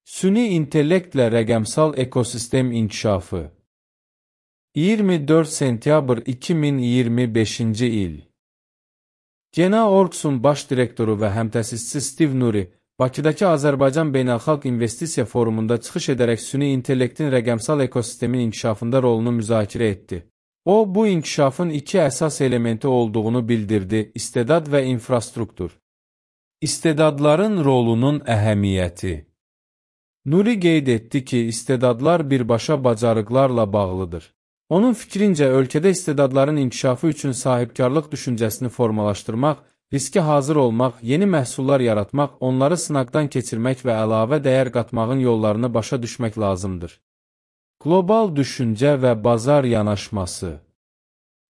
Süni intellektlə rəqəmsal ekosistem inkişafı. 24 sentyabr 2025-ci il. Gena.org-un baş direktoru və həmtəsisçisi Steve Nuri, Bakıdakı Azərbaycan Beynəlxalq İnvestisiya Forumunda çıxış edərək süni intellektin rəqəmsal ekosistemin inkişafında rolunu müzakirə etdi. O, bu inkişafın iki əsas elementi olduğunu bildirdi: istedad və infrastruktur. İstedadların rolunun əhəmiyyəti. Nuri qeyd etdi ki, istedadlar birbaşa bacarıqlarla bağlıdır. Onun fikrincə, ölkədə istedadların inkişafı üçün sahibkarlıq düşüncəsini formalaşdırmaq, riskə hazır olmaq, yeni məhsullar yaratmaq, onları sınaqdan keçirmək və əlavə dəyər qatmağın yollarını başa düşmək lazımdır. Qlobal düşüncə və bazar yanaşması.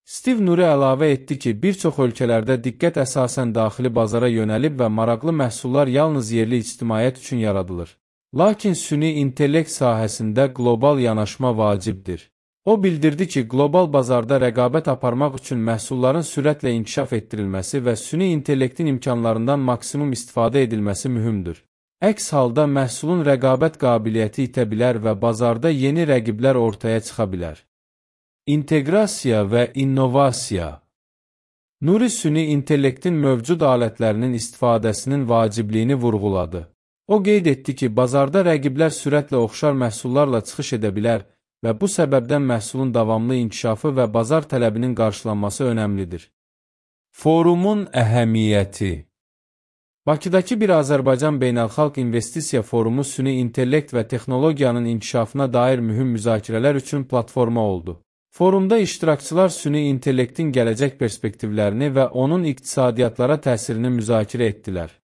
Steve Nuri əlavə etdi ki, bir çox ölkələrdə diqqət əsasən daxili bazara yönəlib və maraqlı məhsullar yalnız yerli ictimaiyyət üçün yaradılır. Lakin süni intellekt sahəsində qlobal yanaşma vacibdir. O bildirdi ki, qlobal bazarda rəqabət aparmaq üçün məhsulların sürətlə inkişaf etdirilməsi və süni intellektin imkanlarından maksimum istifadə edilməsi mühümdür. Əks halda məhsulun rəqabət qabiliyyəti itə bilər və bazarda yeni rəqiblər ortaya çıxa bilər. İnteqrasiya və innovasiya. Nuri süni intellektin mövcud alətlərinin istifadəsinin vacibliyini vurğuladı. O qeyd etdi ki, bazarda rəqiblər sürətlə oxşar məhsullarla çıxış edə bilər və bu səbəbdən məhsulun davamlı inkişafı və bazar tələbinin qarşılanması önəmlidir. Forumun əhəmiyyəti. Bakıdakı bir Azərbaycan Beynəlxalq İnvestisiya Forumu süni intellekt və texnologiyanın inkişafına dair mühüm müzakirələr üçün platforma oldu. Forumda iştirakçılar süni intellektin gələcək perspektivlərini və onun iqtisadiyyatlara təsirini müzakirə etdilər.